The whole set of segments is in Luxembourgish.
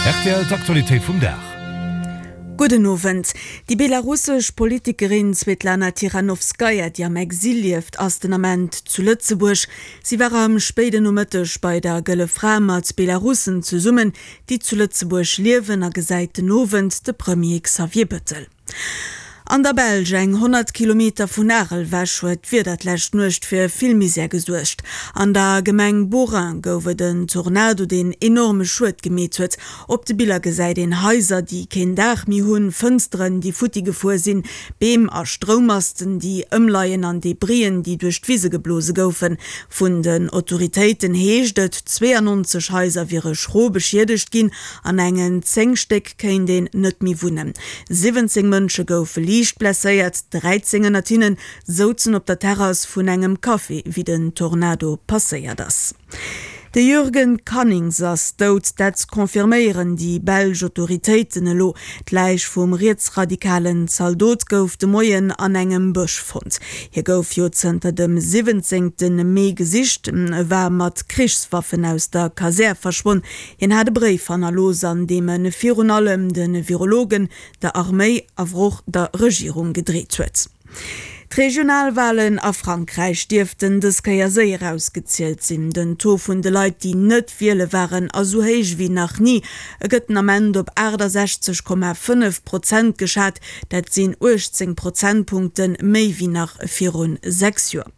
Rtl, D'Aktualitéit vum Dag. Gudden Owend. Déi belarussesch Politikerin Svetlana Tichanovskaja, déi am Exil lieft, ass den Ament zu Lëtzebuerg. Si war am spéiden Nomëtteg bei der Gëlle Fra mat Belarussen zesummen, déi zu Lëtzebuerg liewen a gesäit den Owend de Premier Xavier Bettel. An der Belsch, eng 100 Kilometer vun Arel ewech, huet d'Wieder d'lescht Nuecht fir vill Misär gesuergt. An der Gemeng Beauraing gouf et en Tornado, deen enorme Schued gemeet huet. Op de Biller gesäit een Haiser, déi keen Daach méi hunn, Fënsteren, déi futti gefuer sinn, Beem a Stroummasten, déi ëmleien an Debrien, déi duerch d'Wise geblose goufen. Vun den Autoritéiten heescht et, 92 Haiser wiere schro beschiedegt ginn, an engen 10 Stéck kéint een net méi wunnen. 17 Mënsche goufe liicht blesséiert, 13 ënnert hinne souzen op der Terrass vun engem Café, wéi den Tornado passéiert ass. De Jürgen Cannings ass dout, dat confirméieren déi belsch Autoritéiten elo. D'Läich vum rietsradikalen Zaldot gouf de Moien an engem Bësch fonnt. Hie gouf jo zënter dem 17 Mee gesicht, e war mat Krichswaffen aus der Kasär verschwonn. Hien hat e Bréif hannerlooss, an deem e virun allem de Virologen, der Arméi awer och der Regierung gedreet huet. D'Regionalwalen a Frankräich dierften dës Kéier séier ausgezielt sinn. Den Taux vun de Leit, déi net wiele waren, ass esou héich ewéi nach ni. E gëtt den Ament op 68,5 Prozent geschat, dat sinn 18 Prozentpunkte méi wéi nach virun 6 Joer.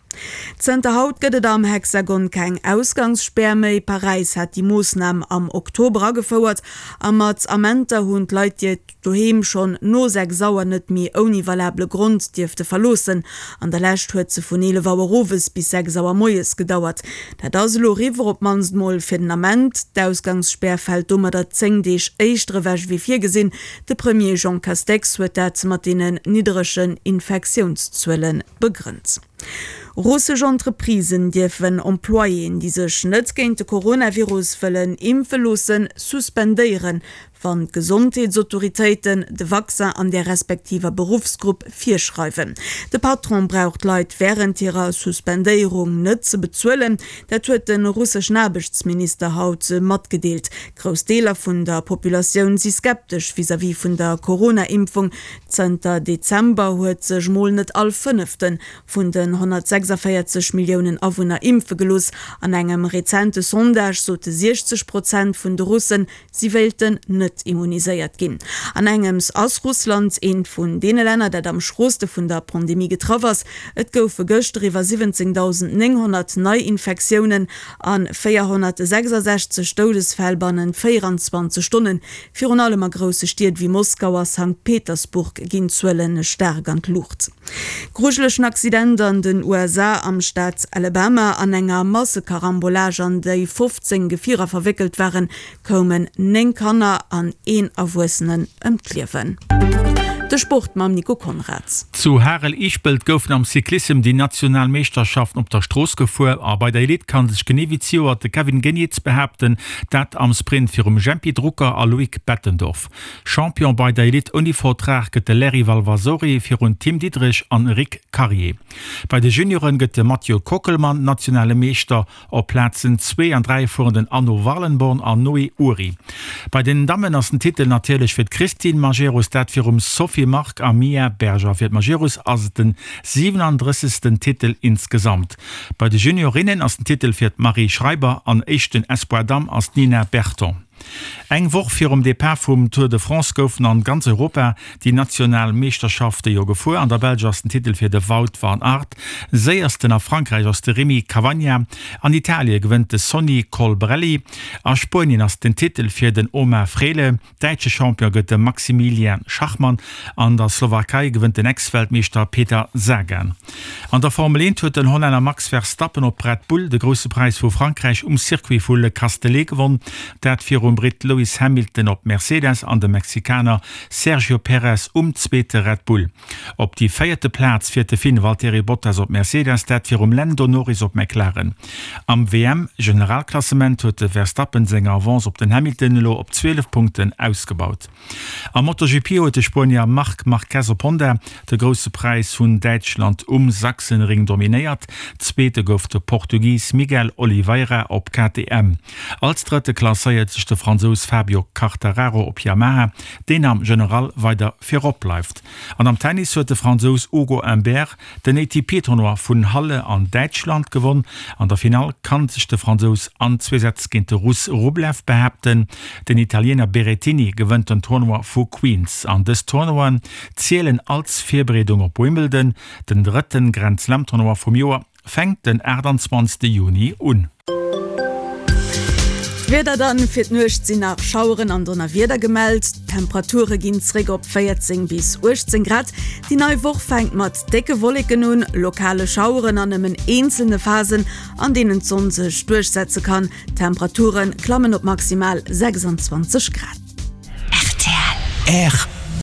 Zënter haut gëtt et am Hexagon keng Ausgangsspär méi. Paräis hat déi Moossnam am Oktober agefouert a mat Amenter hunn d'Leit déi doheem schonn no 6 Auer net méi ouni valabele Grond dierfte verloossen. An der Lescht huet se vun 11 Auer owes bis 6 Auer moies gedauert. Dat ass elo eriwwer, op d'mannst mol fir den Ament. D'Ausgangsspär fält domadder 10 Deeg éischter ewech ewéi virgesinn. De Premier Jean Castex huet dat mat deenen nidderegen Infektiounszuele begrënnt. Russesch Entreprisen dierfen Employéen, déi sech net géint de Coronavirus wëllen impfe loossen, suspendéieren, wann d'Gesondheetsautoritéiten de Vaccin an där respektiver Beruffsgrupp virschreiwen. De Patron brauch d'Leit wärend hirer Suspendéierung net ze bezuelen. Dat huet de russeschen Aarbechtsminister haut matgedeelt. Grouss Deeler vun der Populatioun si skeptesch vis-à-vis vun der Corona-Impfung. Zënter Dezember huet sech mol net all Fënnefte vun den 146 Milliounen Awunner impfe gelooss. An engem rezente Sondage sote 60 Prozent vun de Russen, si wéilten net immuniséiert ginn. An engems ass Russland eent vun deene Länner, dat am schrooste vun der Pandemie getraff ass. Et goufe gëschter iwwer 17.900 Neiinfektiounen a 466 Doudesfäll bannent 24 Stonnen. Virun allem a grousse Stied wéi Moskau a Sankt Petersburg ginn d'Zuele staark an d'Luucht. Grujelegen Accident an den USA am Staat Alabama. An enger Massekarambolage, an déi 15 Gefierer verwéckelt waren, koumen 9 Kanner an een Erwuessenen ëm d'Liewen. De Sport mam Nico Konrads. Zu Harel-Ischpelt goufen am Cyclissem déi national Meeschterschaften op der Strooss gefuer a bei der Elite kann sech genee wéi zejoert de Kevin Geniets behaapten, dat am Sprint virum Jempy Drucker a Loïc Bettendorf. Champion bei der Elite ouni Vertrag gëtt de Larry Valvasori virun Tim Diederich an Rick Carrier. Bei de Junioren gëtt de Mathieu Kockelmann nationale Meeschter. Op Plazen zwee an 3 fueren den Anno Wallenborn an Noé Ury. Bei den Dammen ass den Titel natierlech fir d'Christine Majerus, dat virum Sophie Mark a Mia Berger. Fir d'Majerus ass et den 37. Titel insgesamt. Bei de Juniorinnen ass den Titel fir d'Marie Schreiber an éischten Espoir Damm ass d'Nina Berton. Eng Woch virum Depart vum Tour de France goufen an ganz Europa déi national Meeschterschafte jo gefuer. An der Belsch ass den Titel fir de Wout van Aert, séiersten a Frankräich ass de Rémi Cavagna, an Italie gewënnt de Sonny Colbrelli, a Spuenien ass den Titel fir den Omar Fraile. Däitsche Champion gëtt de Maximilian Schachmann. An der Slowakei gewënnt den Ex-Weltmeeschter Peter Sagan. An der Formel 1 huet den Hollänner Max Verstappen op Red Bull de Grousse Präis vu Frankräich um Circuit vu Le Castellet gewonn. Dat virum Britt Lewis Hamilton op Mercedes an dem Mexikaner Sergio Perez um zweete Red Bull. Op déi véierte Plaz fiert de Finn Valtteri Bottas op Mercedes, dat virum Lando Norris op McLaren. Am WM-Generalklassement huet de Verstappen seng Avance op den Hamilton elo op 12 Punkten ausgebaut. Am MotoGP huet de Spuenier Marc Marquez op Honda de Grousse Präis vun Däitschland um Sachsenring dominéiert. Zweete gouf de Portugis Miguel Oliveira op KTM. Als Drëtte klasséiert sech de. de Fransous Fabio Quartararo op Yamaha, deen am General weider virop bleift. An am Tennis huet de Fransous Ugo Humbert den ATP-Tournoi vun Halle an Däitschland gewonn. An der Finall kann sech de Fransous an zwee Sätz géint de Russ Rublev behaapten. Den Italiener Berrettini gewënnt den Tournoi vu Queens. An dës Tournoien zielen als Virbereedung op Wimbledon. Den drëtte Grand-Slam-Tournoi vum Joer fänkt den 28 Juni un. D'Wieder dann, Fir d'Nuecht sinn nach Schaueren an Donnerwieder gemellt, d'Temperature ginn zréck op 14 bis 18 Grad. Déi nei Woch fänkt mat décke Wolleken un, lokale Schaueren an nëmmen eenzelne Phasen, an deenen d'Sonn sech duerchsetze kann. D'Temperature klammen op maximal 26 Grad. Rtl.